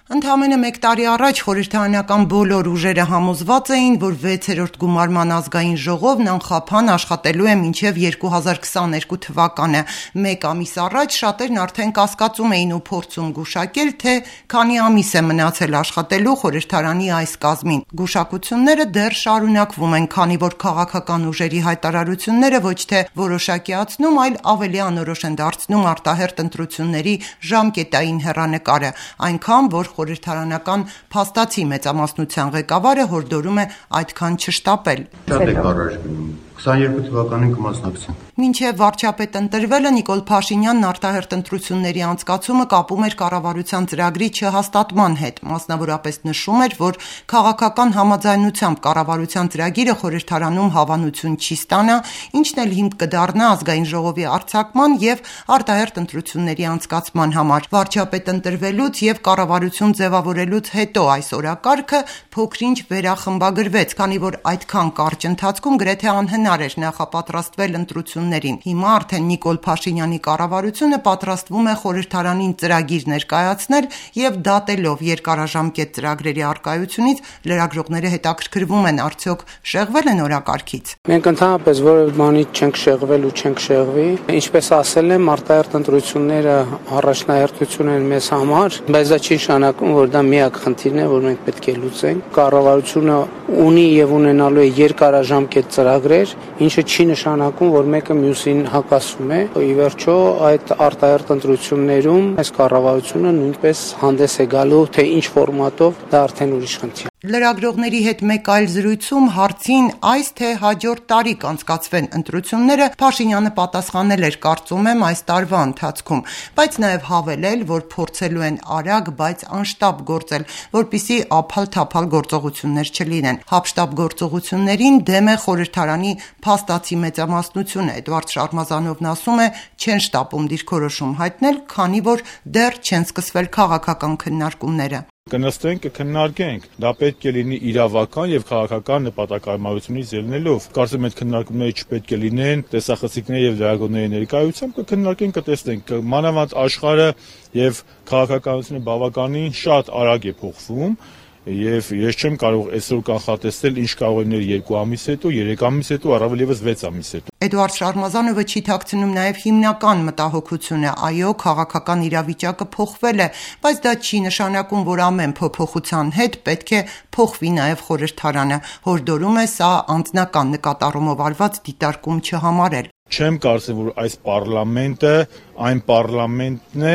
Ընդամենը մեկ տարի առաջ խորհրդարանական բոլոր ուժերը համոզված էին, որ 6-րդ գումարման ազգային ժողովն անխափան աշխատելու է մինչև 2022 թվականը։ Մեկ ամիս առաջ շատերն արդեն կասկածում էին ու փորձում գուշակել, թե քանի ամիս է մնացել աշխատելու խորհրդարանի այս կազմին։ Գուշակությունները դեռ շարունակվում են, քանի որ քաղաքական ուժերի հայտարարությունները ոչ թե որոշակիացնում, այլ ավելի անորոշ են դարձնում արտահերթ ընտրությունների ժամկետային հեռանկարը, այնքան որ խորհրդարանական փաստացի մեծամասնության ղեկավարը հորդորում է այդքան չշտապել։ 22 թվականին կմասնակցենք։ Մինչև վարչապետ ընտրվելը Նիկոլ Փաշինյանն արտահերթ ընտրությունների անցկացումը կապում էր կառավարության ծրագրի չհաստատման հետ, մասնավորապես նշում էր, որ քաղաքական համաձայնությամբ կառավարության ծրագիրը խորհրդարանում հավանություն չի ստանա, ինչն էլ հիմք կդառնա ազգային ժողովի արձակման եւ արտահերթ ընտրությունների անցկացման համար։ Վարչապետ ընտրվելուց եւ կառավարություն ձևավորելուց հետո այս օրակարգը փոքրինչ վերախմբագրվեց, քանի որ այդքան կարճ ընթացքում գրեթե անհնար էր նախապատրաստվել ընտրություններին։ Հիմա արդեն Նիկոլ Փաշինյանի կառավարությունը պատրաստվում է խորհրդարանին ծրագիր ներկայացնել եւ դատելով երկարաժամկետ ծրագրերի առկայությունից լրագրողները հետաքրքրվում են, արդյոք շեղվել են օրակարգից։ Մենք ընդհանրապես որևէ բանից չենք շեղվել ու չենք շեղվի։ Ինչպես ասել եմ, արտահերթ ընտրությունները առաջնահերթություն են մեզ համար, բայց դա չի նշանակում, որ դա միակ խնդիրն է, որ մենք պետք է լուծենք։ Կառավարությունը ունի եւ ունենալու է երկարաժամկետ ծրագրեր, ինչը չի նշանակում, որ մեկը մյուսին հակասում է։ Ի վերջո, այդ արտահերթ ընտրություններում այս կառավարությունը նույնպես հանդես է գալու, թե ինչ ֆորմատով, դա արդեն ուրիշ խնդիր է։ Լրագրողների հետ մեկ այլ զրույցում հարցին այս թե հաջորդ տարի կանցկացվեն ընտրությունները Փաշինյանը պատասխանել էր, կարծում եմ, այս տարվա ընթացքում, բայց նաև հավելել, որ փորձելու են արագ, բայց անշտապ գործել, որպեսզի ափալ-թափալ գործողություններ չլինեն։ Հապշտապ գործողություններին դեմ է խորհրդարանի փաստացի մեծամասնությունը։ Էդվարդ Շարմազանովն ասում է, չեն շտապում դիրքորոշում հայտնել, քանի որ դեռ չեն սկսվել քաղաքական քննարկումները։ Կնստենք, կքննարկենք։ Դա պետք է լինի իրավական եւ քաղաքական նպատակահարմարությունից ելնելով։ Կարծում եմ, այդ քննարկումները չպետք է լինեն տեսախցիկների եւ լրագրողների ներկայությամբ, կքննարկենք, կտեսնենք։ Մանավանդ աշխարհը եւ քաղաքականությունը բավականին շատ արագ է փոխվում։ Եվ ես չեմ կարող այսօր կանխատեսել ինչ կարող է լինել 2 ամիս հետո, 3 ամիս հետո, առավել եւս 6 ամիս հետո։ Էդվարդ Շարմազանովը չի թաքցնում նաև հիմնական մտահոգությունը, այո, քաղաքական իրավիճակը փոխվել է, բայց դա չի նշանակում, որ ամեն փոփոխության հետ պետք է փոխվի նաև խորհրդարանը։ Հորդորում է սա անձնական նկատառումով արված դիտարկում չհամարել։ Չեմ կարծում, որ այս պարլամենտը այն պարլամենտն է,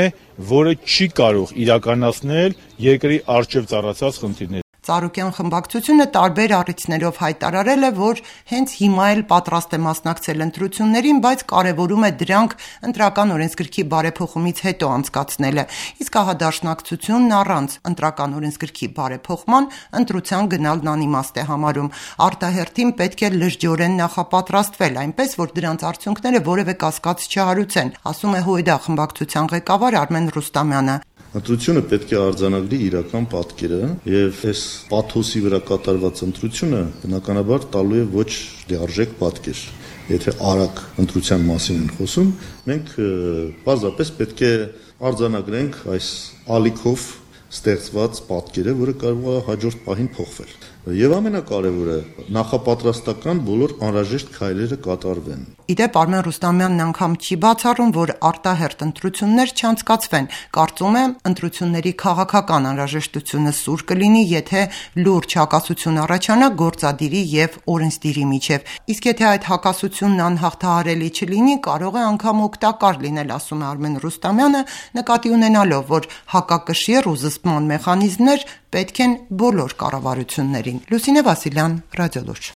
որը չի կարող իրականացնել երկրի առջև ծառացած խնդիրները։ Ծառուկյան խմբակցությունը տարբեր առիթներով հայտարարել է, որ հենց հիմա էլ պատրաստ է մասնակցել ընտրություններին, բայց կարևորում է դրանք ընտրական օրենսգրքի բարեփոխումից հետո անցկացնելը։ Իսկ հահադաշնակցությունն առանց ընտրական օրենսգրքի բարեփոխման ընտրության գնալն անիմաստ է համարում։ Արտահերթին պետք է լրջորեն նախապատրաստվել, այնպես որ դրանց արդյունքները որևէ կասկած չհարուցեն, ասում է ՀՅԴ խմբակցության ղեկավար Արմեն Ռուստամյանը։ Ընտրությունը պետք է արձանագրի իրական պատկերը եւ այս պաթոսի վրա կատարված ընտրությունը բնականաբար տալու է ոչ լիարժեք պատկեր։ Եթե արագ ընտրության մասին են խոսում, մենք պարզապես պետք է արձանագրենք այս ալիքով ստեղծված պատկերը, որը կարող է հաջորդ պահին փոխվել։ Եվ ամենակարևորը նախապատրաստական բոլոր անհրաժեշտ քայլերը կատարվեն։ Իդեպ Արմեն Ռուստամյանն անգամ չի բացառում, որ արտահերթ ընտրություններ չանցկացվեն։ Կարծում է, ընտրությունների քաղաքական անհրաժեշտությունը սուր կլինի, եթե լուրջ հակասություն առաջանա գործադիրի եւ օրենսդիրի միջև։ Իսկ եթե այդ հակասությունն անհաղթահարելի չլինի, կարող է անգամ օգտակար լինել, ասում է Արմեն Ռուստամյանը, նկատի ունենալով, որ հակակշիռ ու զսպման մեխանիզմներ պետք են բոլոր կառավարություններին։ Լուսինե Վասիլյան, Ռադիոլուրջ։